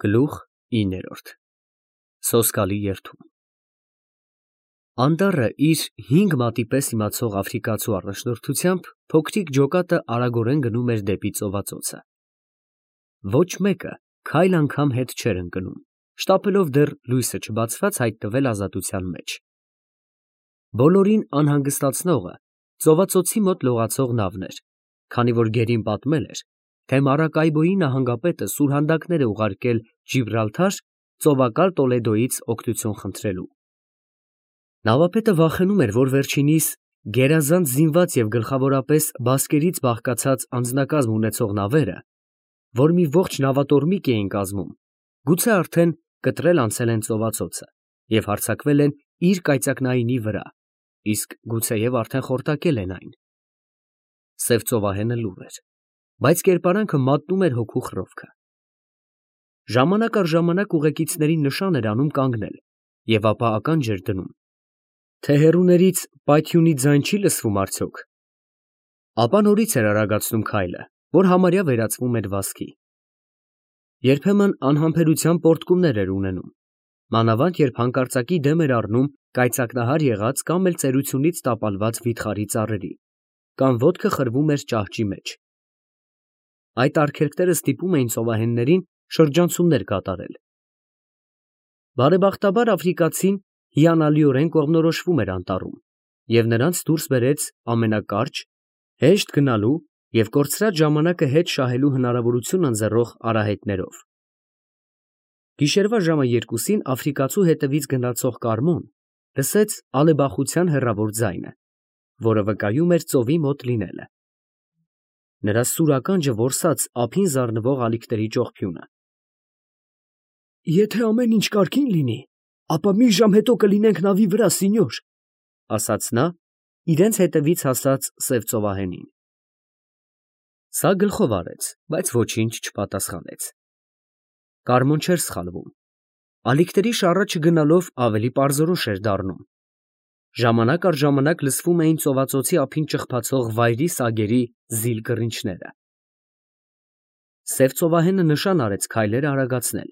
Գլուխ 9 Սոսկալի երթում Անտառը իր 5 մատի պես իմացող աֆրիկացու առաջնորդությամբ փոքրիկ ջոկատը արագորեն գնում էր դեպի ծովածոցը։ Ոչ մեկը քայլ անգամ հետ չէր ընկնում, շտապելով դեռ լույսը չբացված հայտնվել ազատության մեջ։ Բոլորին անհանգստացնողը ծովածոցի մոտ լողացող նավն էր, քանի որ գերին պատմել էր, թե Մարակայբոյի նահանգապետը սուրհանդակներ է ուղարկել Ջիբրալթար ծովակալ Տոլեդոյից օգնություն խնդրելու։ Նավապետը վախենում էր, որ վերջինիս գերազանց զինված և գլխավորապես բասկերից բաղկացած անձնակազմ ունեցող նավերը, որ մի ողջ նավատորմիկ էին կազմում, գուցե արդեն կտրել անցել են ծովածոցը և հարձակվել են իր կայծակնայինի վրա, իսկ գուցեև արդեն խորտակել են այն։ Սև ծովահենը լուռ էր, բայց կերպարանքը մատնում էր հոգու խռովքը։ Ժամանակ առ ժամանակ ուղեկիցներին նշան էր անում կանգնել և ապա ականջ էր դնում, թե հեռուներից պայթյունի ձայն չի լսվում արդյոք։ Ապա նորից էր արագացնում քայլը, որ համարյա վերածվում էր վազքի։ Երբեմն անհամբերության պոռթկումներ էր ունենում, մանավանդ երբ հանկարծակի դեմ էր առնում կայծակնահար եղած կամ էլ ծերությունից տապալված վիթխարի ծառերի, կամ ոտքը խրվում էր ճահճի մեջ։ Այդ արգելքները ստիպում էին ծովահեններին շրջանցումներ կատարել։ Բարեբախտաբար աֆրիկացին հիանալիորեն կողմնորոշվում էր անտառում և նրանց դուրս բերեց ամենակարճ, հեշտ գնալու և կորցրած ժամանակը հետ շահելու հնարավորություն ընձեռող արահետներով։ Գիշերվա ժամը 2-ին աֆրիկացու հետևից գնացող Կարմոն լսեց ալեբախության հեռավոր ձայնը, որը վկայում էր ծովի մոտ լինելը։ Նրա սուր ականջը որսաց ափին զարնվող ալիքների ճողփյունը։ «Եթե ամեն ինչ կարգին լինի, ապա մի ժամ հետո կլինենք նավի վրա, սինյոր», ֊ ասաց նա իրենց հետևից հասած սև ծովահենին։ Սա գլխով արեց, բայց ոչինչ չպատասխանեց։ Կարմոն չէր սխալվում։ Ալիքների շառը չգնալով ավելի պարզորոշ էր դառնում։ Ժամանակ առ ժամանակ լսվում էին ծովածոցի ափին ճխփացող վայրի սագերի զիլ կռինչները։ Սև ծովահենը նշան արեց քայլերը արագացնել,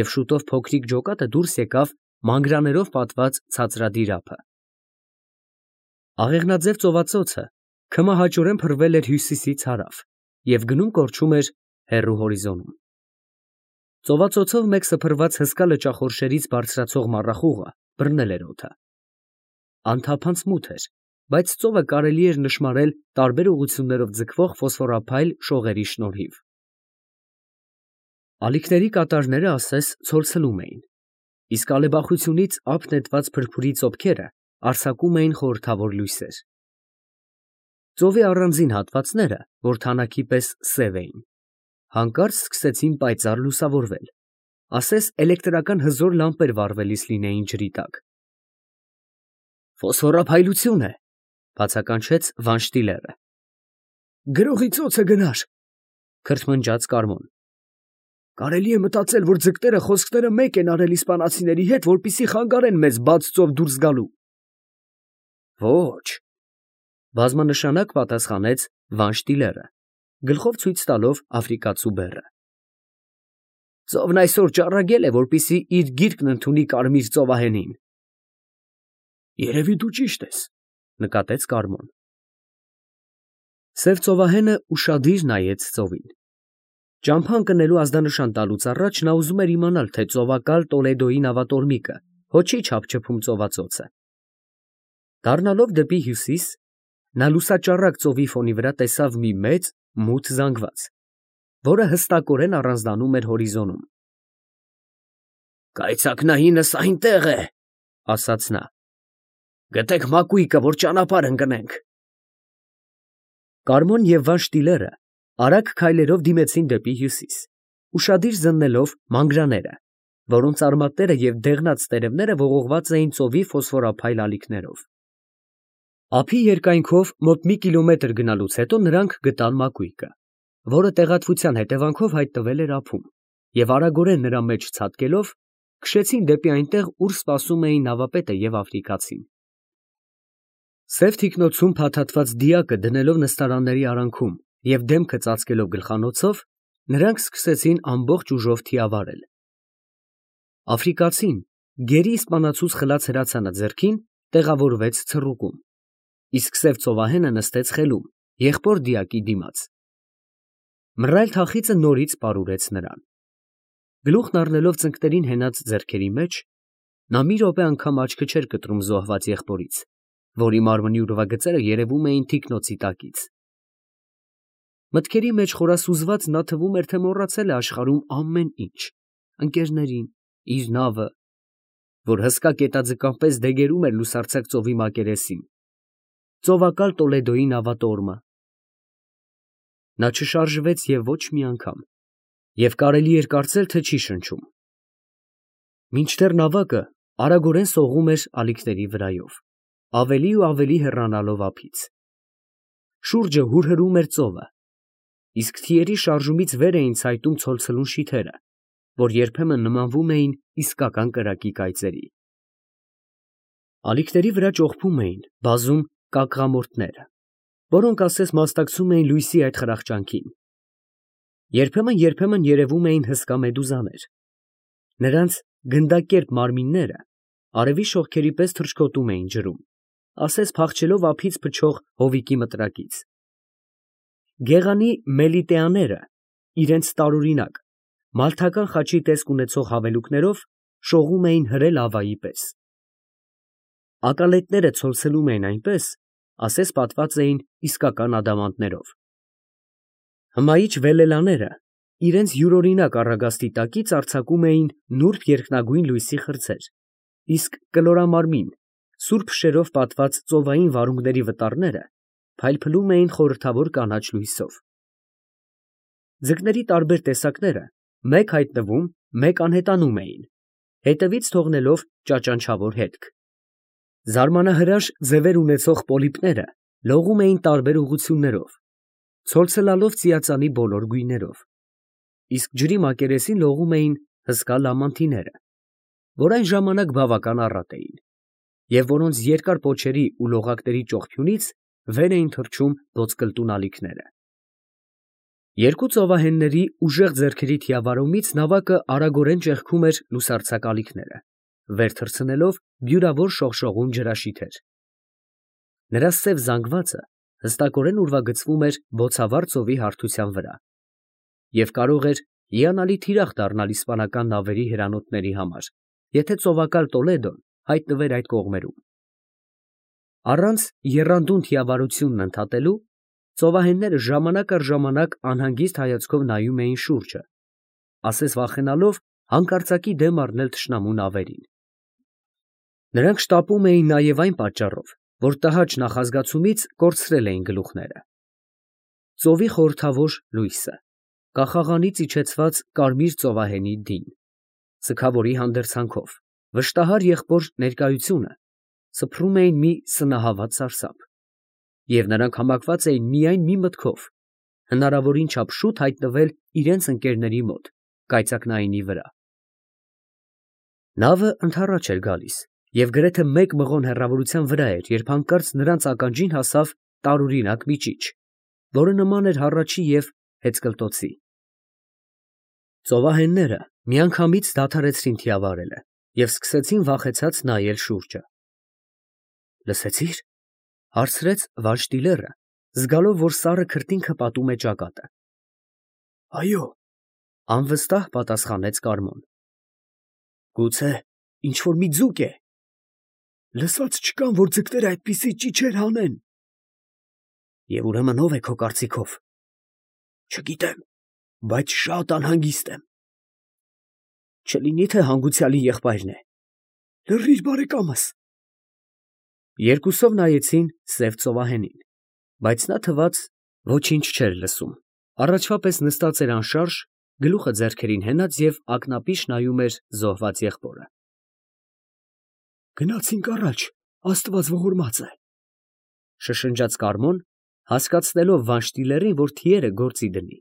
և շուտով փոքրիկ ջոկատը դուրս եկավ մանգրաներով պատված ցածրադիր ափը։ Աղեղնաձև ծովածոցը քմահաճորեն փռվել էր հյուսիսից հարավ և գնում֊կորչում էր հեռու հորիզոնում։ Ծովածոցով մեկ սփռված հսկա լճախորշերից բարձրացող մառախուղը բռնել էր օդը։ Անթափանց մութ էր, բայց ծովը կարելի էր նշմարել տարբեր ուղղություններով ձգվող ֆոսֆորափայլ շողերի շնորհիվ։ Ալիքների կատարները ասես ցոլցլում էին, իսկ ալեբախությունից ափ նետված փրփուրի ծոփքերը արձակում էին խորհրդավոր լույսեր։ Ծովի առանձին հատվածները, որ թանաքի պես սև էին, հանկարծ սկսեցին պայծառ լուսավորվել, ասես էլեկտրական հզոր լամպեր վառվելիս լինեին ջրի տակ։ «Ֆոսֆորափայլություն է», ֊ բացականչեց Վանշտիլերը։ «Գրողի ծոցը գնար», ֊ քրթմնջաց Կարմոն։ «Կարելի է մտածել, որ ձկները խոսքները մեկ են արել իսպանացիների հետ, որպեսզի խանգարեն մեզ բաց ծով դուրս գալու»։ «Ոչ», ֊ բազմանշանակ պատասխանեց Վանշտիլերը, գլխով ցույց տալով աֆրիկացու բեռը։ «Ծովն այսօր ճառագել է, որպեսզի իր գիրկն ընդունի Կարմիր ծովահենին»։ «Երևի դու ճիշտ ես», ֊ նկատեց Կարմոն։ Սև ծովահենը ուշադիր նայեց ծովին։ Ճամփա ընկնելու ազդանշան տալուց առաջ նա ուզում էր իմանալ, թե ծովակալ Տոլեդոյի նավատորմիկը հո չի չափչփում ծովածոցը։ Դառնալով դեպի հյուսիս, նա լուսաճառակ ծովի ֆոնի վրա տեսավ մի մեծ, մութ զանգված, որը հստակորեն առանձնանում էր հորիզոնում։ «Կայծակնայինս այնտեղ է», ֊ ասաց նա։ «Գտեք մակույկը, որ ճանապարհ ընկնենք»։ Կարմոն և Վանշտիլերը արագ քայլերով դիմեցին դեպի հյուսիս, ուշադիր զննելով մանգրաները, որոնց արմատները և դեղնած տերևները ողողված էին ծովի ֆոսֆորափայլ ալիքներով։ Ափի երկայնքով մոտ մի կիլոմետր գնալուց հետո նրանք գտան մակույկը, որը տեղատվության հետևանքով հայտնվել էր ափում, և արագորեն նրա մեջ ցատկելով քշեցին դեպի այնտեղ, ուր սպասում էին նավապետը և աֆրիկացին։ Սև թիկնոցում փաթաթված դիակը դնելով նստարանների արանքում և դեմքը ծածկելով գլխանոցով, նրանք սկսեցին ամբողջ ուժով թիավարել։ Աֆրիկացին, գերի իսպանացուց խլած հրացանը ձեռքին, տեղավորվեց ցռուկում, իսկ սև ծովահենը նստեց խելում, եղբոր դիակի դիմաց։ Մռայլ թախիծը նորից պարուրեց նրան։ Գլուխն առնելով ծնկներին հենած ձեռքերի մեջ, նա մի րոպե անգամ աչքը չէր կտրում զոհված եղբորից, որի մարմնի ուրվագծերը երևում էին թիկնոցի տակից։ Մտքերի մեջ խորասուզված նա թվում էր, թե մոռացել է աշխարհում ամեն ինչ, ընկերներին, իր նավը, որ հսկա կետաձկան պես դեգերում էր լուսարձակ ծովի մակերեսին, ծովակալ Տոլեդոյի նավատորմը։ Նա չշարժվեց և ոչ մի անգամ, և կարելի էր կարծել, թե չի շնչում։ Մինչդեռ նավակը արագորեն սողում էր ալիքների վրայով, ավելի ու ավելի հեռանալով ափից։ Շուրջը հուրհրում էր ծովը, իսկ թիերի շարժումից վեր էին ցայտում ցոլցլուն շիթերը, որ երբեմն նմանվում էին իսկական կրակի կայծերի։ Ալիքների վրա ճողփում էին բազում կակղամորթները, որոնք ասես մասնակցում էին լույսի այդ խրախճանքին։ Երբեմն երևում էին հսկա մեդուզաներ։ Նրանց գնդակերպ մարմինները արևի շողքերի պես թռչկոտում էին ջրում, ասես փախչելով ափից փչող հովիկի մտրակից։ Գեղանի մելիտեաները իրենց տարօրինակ, մալթական խաչի տեսք ունեցող հավելուկներով շողում էին հրե լավայի պես։ Ակալետները ցոլցելում էին այնպես, ասես պատված էին իսկական ադամանդներով։ Հմայիչ վելելաները իրենց յուրօրինակ առագաստի տակից արձակում էին նուրբ երկնագույն լույսի խրձեր, իսկ կլորամարմին, սուրբ շերով պատված ծովային վարունգների վտարները փայլփլում էին խորհրդավոր կանաչ լույսով։ Ձկների տարբեր տեսակները մեկ հայտնվում, մեկ անհետանում էին, հետևից թողնելով ճաճանչավոր հետք։ Զարմանահրաշ ձևեր ունեցող պոլիպները լողում էին տարբեր ուղղություններով, ցոլցլալով ծիածանի բոլոր գույներով, իսկ ջրի մակերեսին լողում էին հսկա լամանթիները, որ այն ժամանակ բավական առատ էին, և որոնց երկար պոչերի ու լողակների ճողփյունից վեր էին թռչում ոսկլտուն ալիքները։ Երկու ծովահենների ուժեղ ձեռքերի թիավարումից նավակը արագորեն ճեղքում էր լուսարձակ ալիքները, վեր թռցնելով բյուրավոր շողշողուն ջրաշիթեր։ Նրա սև զանգվածը հստակորեն ուրվագծվում էր բոցավառ ծովի հարթության վրա և կարող էր հիանալի թիրախ դառնալ իսպանական նավերի հրանոթների համար, եթե ծովակալ Տոլեդոն հայտնվեր այդ կողմերում։ Առանց եռանդուն թիավարությունն ընդհատելու, ծովահենները ժամանակ առ ժամանակ անհանգիստ հայացքով նայում էին շուրջը, ասես վախենալով հանկարծակի դեմ առնել թշնամու նավերին։ Նրանք շտապում էին նաև այն պատճառով, որ տհաճ նախազգացումից կորցրել էին գլուխները։ Ծովի խորհրդավոր լույսը, կախաղանից իջեցված կարմիր ծովահենի դին, սգավորի հանդերձանքով, վշտահար եղբոր ներկայությունը սփռում էին մի սնահավատ սարսափ, և նրանք համակված էին միայն մի մտքով՝ հնարավորին չափ շուտ հայտնվել իրենց ընկերների մոտ կայծակնայինի վրա։ Նավը ընդառաջ էր գալիս և գրեթե մեկ մղոն հեռավորության վրա էր, երբ հանկարծ նրանց ականջին հասավ տարօրինակ մի ճիչ, որը նման էր հառաչի և հեծկլտոցի։ Ծովահենները միանգամից դադարեցրին թիավարելը և սկսեցին վախեցած նայել շուրջը։ «Լսեցի՞ր», ֊ հարցրեց Վանշտիլերը, զգալով, որ սառը քրտինքը պատում է ճակատը։ ֊ Այո, ֊ անվստահ պատասխանեց Կարմոն։ ֊ Գուցե ինչ֊որ մի ձուկ է։ Լսած չկամ, որ ձկները այդպիսի ճիչեր հանեն։ ֊ Եվ ուրեմն ո՞վ է քո կարծիքով։ ֊ Չգիտեմ, բայց շատ անհանգիստ եմ։ ֊ Չլինի՞ թե հանգուցյալի եղբայրն է։ ֊ Լռիր, բարեկամս։ Երկուսով նայեցին սև ծովահենին, բայց նա թվաց ոչինչ չէր լսում, առաջվա պես նստած էր անշարժ, գլուխը ձեռքերին հենած և ակնապիշ նայում էր զոհված եղբորը։ «Գնացինք առաջ, Աստված ողորմած է, ֊ շշնջաց Կարմոն, հասկացնելով Վանշտիլերին, որ թիերը գործի դնի։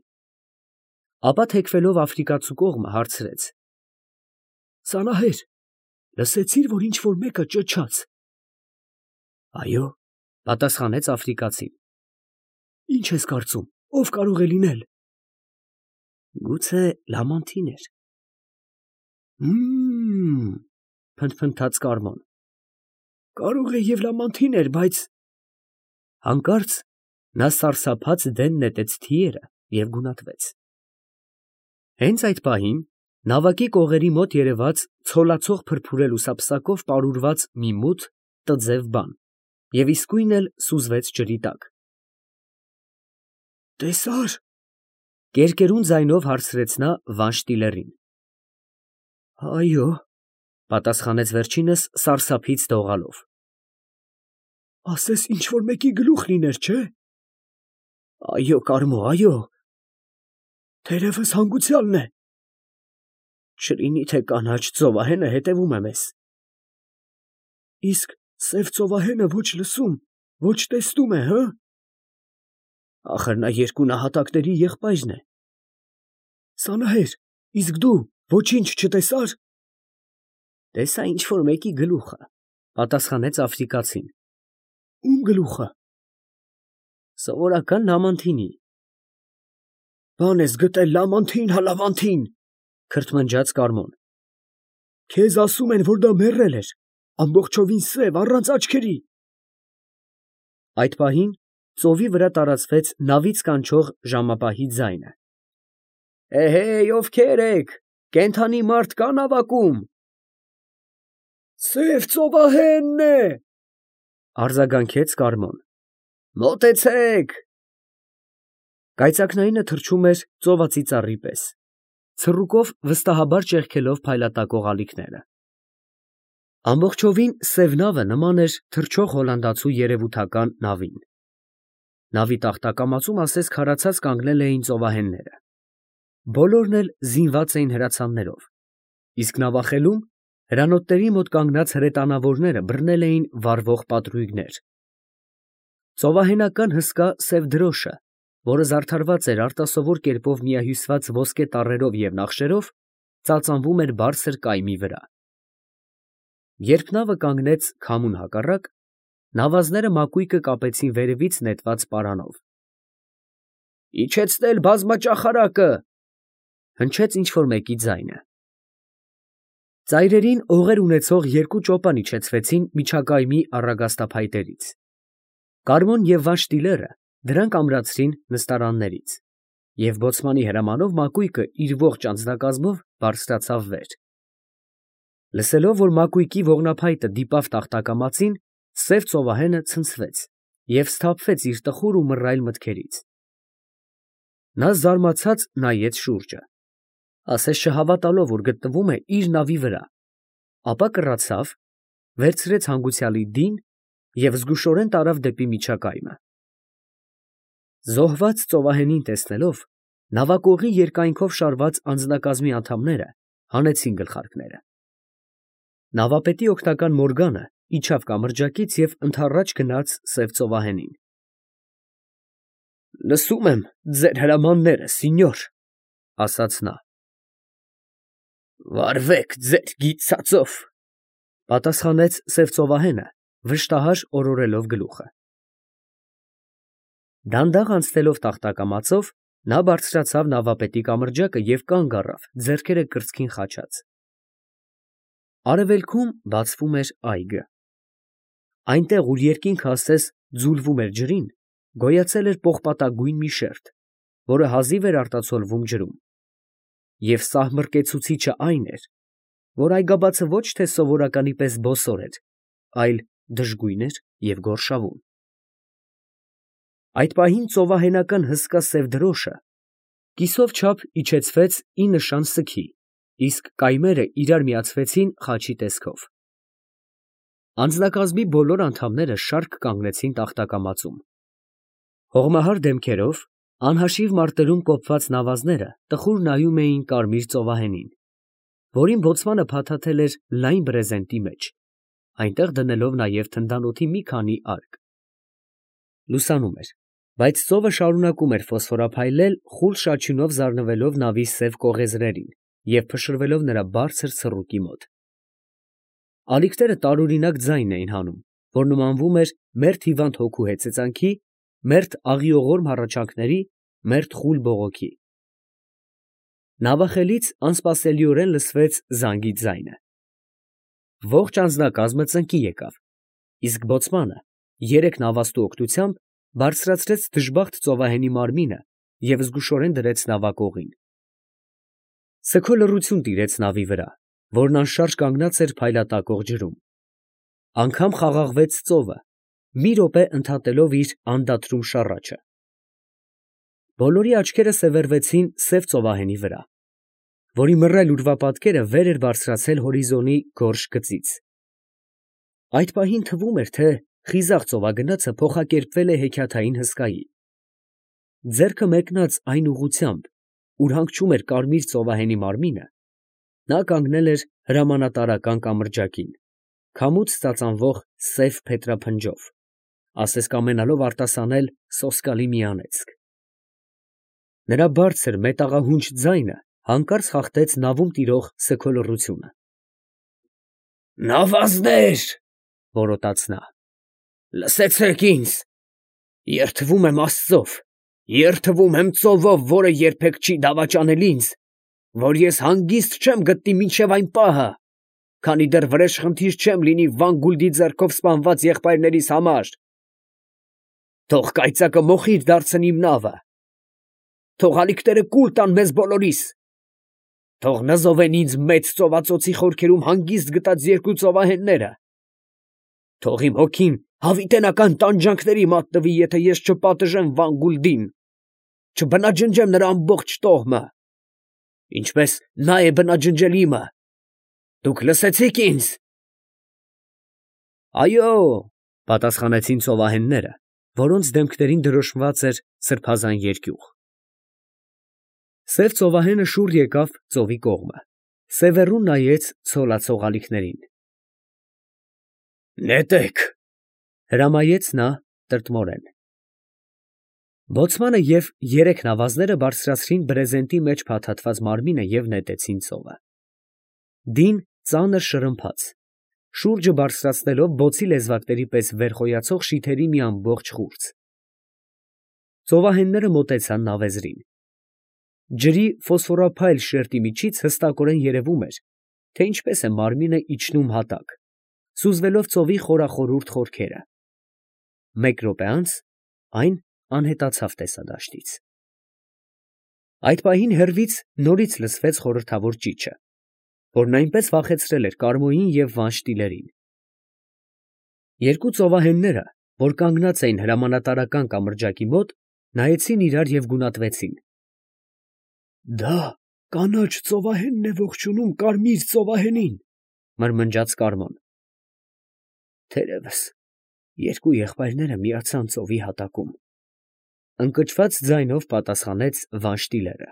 Ապա թեքվելով աֆրիկացու կողմը հարցրեց. ֊ Սանահեր, լսեցի՞ր, որ ինչ֊որ մեկը ճչաց։ ֊ Այո, ֊ պատասխանեց աֆրիկացին։ ֊ Ի՞նչ ես կարծում, ով կարող է լինել։ ֊ Գուցե լամանթին էր։ Փնթփնթաց Կարմոն։ Կարող է և լամանթին էր, բայց… Հանկարծ նա սարսափած դեն նետեց թիերը և գունատվեց։ Հենց այդ պահին նավակի կողերի մոտ երևաց ցոլացող փրփուրե լուսապսակով պարուրված մի մութ տձև բան և իսկույն էլ սուզվեց ջրի տակ։ Տեսա՞ր, կերկերուն ձայնով հարցրեց նա Վանշ Տիլերին։ Այո, պատասխանեց վերջինս սարսափից դողալով։ Ասես ինչ֊որ մեկի գլուխ լիներ, չէ՞։ Այո, Կարմո, այո։ Թերևս հանգուցյալն է։ Չլինի թե կանաչ ծովահենը հետևում է մեզ։ Իսկ սև ծովահենը ոչ լսում, ոչ տեսնում է, հը՞։ Ախր նա երկու նահատակների եղբայրն է։ Սանահեր, իսկ դու ոչինչ չտեսա՞ր։ Տեսա ինչ֊որ մեկի գլուխը, պատասխանեց աֆրիկացին։ Ում գլուխը։ Սովորական լամանթինի։ Բան ես գտել լամանթին, հա լավանթին, քրթմնջաց Կարմոն։ Քեզ ասում են, որ դա մեռել էր, ամբողջովին սև, առանց աչքերի։ Այդ պահին ծովի վրա տարածվեց նավից կանչող ժամապահի ձայնը։ Էհեյ, ովքեր եք, կենդանի մարդ կա նավակում։ Սև ծովահենն է, արձագանքեց Կարմոն։ Մոտեցեք։ Կայծակնայինը թռչում էր ծովածի ծառի պես, ցռուկով վստահաբար ճեղքելով փայլատակող ալիքները։ Ամբողջովին սև նավը նման էր թռչող հոլանդացու երևութական նավին։ Նավի տախտակամածում ասես քարացած կանգնել էին ծովահենները։ Բոլորն էլ զինված էին հրացաններով, իսկ նավախելում հրանոթների մոտ կանգնած հրետանավորները բռնել էին վառվող պատրույգներ։ Ծովահենական հսկա սև դրոշը, որը զարդարված էր արտասովոր կերպով միահյուսված ոսկե տառերով և նախշերով, ծածանվում էր բարձր կայմի վրա։ Երբ նավը կանգնեց քամուն հակառակ, նավազները մակույկը կապեցին վերևից նետված պարանով։ Իջեցնել բազմաճախարակը, հնչեց ինչ֊որ մեկի ձայնը։ Ծայրերին օղեր ունեցող երկու ճոպան իջեցվեցին միջակայմի առագաստափայտերից։ Կարմոն և Վանշ Տիլերը դրանք ամրացրին նստարաններից, և բոցմանի հրամանով մակույկը իր ողջ անձնակազմով բարձրացավ վեր։ Լսելով, որ մակույկի ողնափայտը դիպավ տախտակամածին, սև ծովահենը ցնցվեց և սթափվեց իր տխուր ու մռայլ մտքերից։ Նա զարմացած նայեց շուրջը, ասես չհավատալով, որ գտնվում է իր նավի վրա, ապա կռացավ, վերցրեց հանգուցյալի դին և զգուշորեն տարավ դեպի միջակայմը։ Զոհված ծովահենին տեսնելով, նավակողի երկայնքով շարված անձնակազմի անդամները հանեցին գլխարկները։ Նավապետի օգնական Մորգանը իջավ կամրջակից և ընդառաջ գնաց սև ծովահենին։ Լսում եմ ձեր հրամանները, սինյոր, ասաց նա։ Վարվեք ձեր գիծածով, պատասխանեց սև ծովահենը, վշտահար օրորելով գլուխը։ Դանդաղ անցնելով տախտակամածով, նա բարձրացավ նավապետի կամրջակը և կանգ առավ, ձեռքերը կրծքին խաչած։ Արևելքում բացվում էր այգը։ Այնտեղ, ուր երկինքը ասես ձուլվում էր ջրին, գոյացել էր պողպատագույն մի շերտ, որը հազիվ էր արտացոլվում ջրում։ Եվ սահմռկեցուցիչը այն էր, որ այգաբացը ոչ թե սովորականի պես բոսոր էր, այլ դժգույն էր և գորշավուն։ Այդ պահին ծովահենական հսկա սև դրոշը կիսով չափ իջեցվեց ի նշան սգի, իսկ կայմերը իրար միացվեցին խաչի տեսքով։ Անձնակազմի բոլոր անդամները շարք կանգնեցին տախտակամածում։ Հողմահար դեմքերով, անհաշիվ մարտերում կոփված նավազները տխուր նայում էին կարմիր ծովահենին, որին բոցմանը փաթաթել էր լայն բրեզենտի մեջ, այնտեղ դնելով նաև թնդանոթի մի քանի արկ։ Լուսանում էր, բայց ծովը շարունակում էր ֆոսֆորափայլել, խուլ շաչյունով զարնվելով նավի սև կողեզրերին և փշրվելով նրա բարձր ցռուկի մոտ։ Ալիքները տարօրինակ ձայն էին հանում, որ նմանվում էր մերթ հիվանդ հոգու հեծեծանքի, մերթ աղիողորմ հառաչանքների, մերթ խուլ բողոքի։ Նավախելից անսպասելիորեն լսվեց զանգի ձայնը։ Ողջ անձնակազմը ծնկի եկավ, իսկ բոցմանը երեք նավաստու օգնությամբ բարձրացրեց դժբախտ ծովահենի մարմինը և զգուշորեն դրեց նավակողին։ Սգո լռություն տիրեց նավի վրա, որն անշարժ կանգնած էր փայլատակող ջրում։ Անգամ խաղաղվեց ծովը, մի րոպե ընդհատելով իր անդադրում շառաչը։ Բոլորի աչքերը սևեռվեցին սև ծովահենի վրա, որի մռայլ ուրվապատկերը վեր էր բարձրացել հորիզոնի գորշ գծից։ Այդ պահին թվում էր, թե խիզախ ծովագնացը փոխակերպվել է հեքիաթային հսկայի։ Ձեռքը մեկնած այն ուղղությամբ, ուր հանգչում էր կարմիր ծովահենի մարմինը, նա կանգնել էր հրամանատարական կամրջակին, քամուց ծածանվող սև փետրափնջով, ասես կամենալով արտասանել սոսկալի մի անեծք։ Նրա բարձր մետաղահունչ ձայնը հանկարծ խախտեց նավում տիրող սգո լռությունը։ «Նավազներ, ֊ որոտաց նա, ֊ լսեցեք ինձ. երդվում եմ Աստծով, երդվում եմ ծովով, որը երբեք չի դավաճանել ինձ, որ ես հանգիստ չեմ գտնի մինչև այն պահը, քանի դեռ վրեժխնդիր չեմ լինի Վանգուլդի ձեռքով սպանված եղբայրներիս համար։ Թող կայծակը մոխիր դարձնի իմ նավը, թող ալիքները կուլ տան մեզ բոլորիս, թող նզովեն ինձ մեծ ծովածոցի խորքերում հանգիստ գտած երկու ծովահենները, թող իմ հոգին հավիտենական տանջանքների մատնվի, եթե ես չպատժեմ Վանգուլդին, չբնաջնջեմ նրա ամբողջ տոհմը, ինչպես նա է բնաջնջել իմը։ Դուք լսեցի՞ք ինձ»։ «Այո», ֊ պատասխանեցին ծովահենները, որոնց դեմքներին դրոշմված էր սրբազան երկյուղ։ Սև ծովահենը շուռ եկավ ծովի կողմը, սևեռուն նայեց ցոլացող ալիքներին։ «Նետեք, ֊ հրամայեց նա տրտմորեն։ Բոցմանը և երեք նավազները բարձրացրին բրեզենտի մեջ փաթաթված մարմինը և նետեցին ծովը։ Դին ծանր շրմփաց, շուրջը բարձրացնելով բոցի լեզվակների պես վեր խոյացող շիթերի մի ամբողջ խուրձ։ Ծովահենները մոտեցան նավեզրին։ Ջրի ֆոսֆորափայլ շերտի միջից հստակորեն երևում էր, թե ինչպես է մարմինը իջնում հատակ, սուզվելով ծովի խորախորուրդ խորքերը։ Մեկ րոպե անց այն անհետացավ տեսադաշտից։ Այդ պահին հեռվից նորից լսվեց խորհրդավոր ճիչը, որն այնպես վախեցրել էր Կարմոյին և Վանշտիլերին։ Երկու ծովահենները, որ կանգնած էին հրամանատարական կամրջակի մոտ, նայեցին իրար և գունատվեցին։ «Դա կանաչ ծովահենն է ողջունում կարմիր ծովահենին, ֊ մրմնջաց Կարմոն։ Թերևս երկու եղբայրները միացան ծովի հատակում, ֊ ընկճված ձայնով պատասխանեց Վանշտիլերը։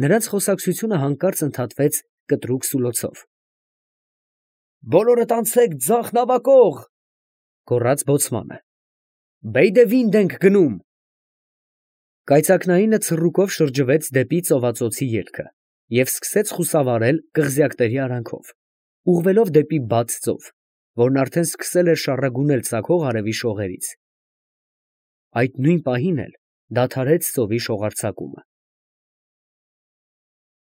Նրանց խոսակցությունը հանկարծ ընդհատվեց կտրուկ սուլոցով։ «Բոլորդ անցեք ձախ նավակող, ֊ գոռաց բոցմանը, ֊ Բեյդևինդ ենք գնում»։ Կայծակնայինը ցռուկով շրջվեց դեպի ծովածոցի ելքը և սկսեց խուսավարել կղզյակների արանքով, ուղղվելով դեպի բաց ծով, որն արդեն սկսել էր շառագունել ծագող արևի շողերից։ Այդ նույն պահին էլ դադարեց ծովի շողարձակումը։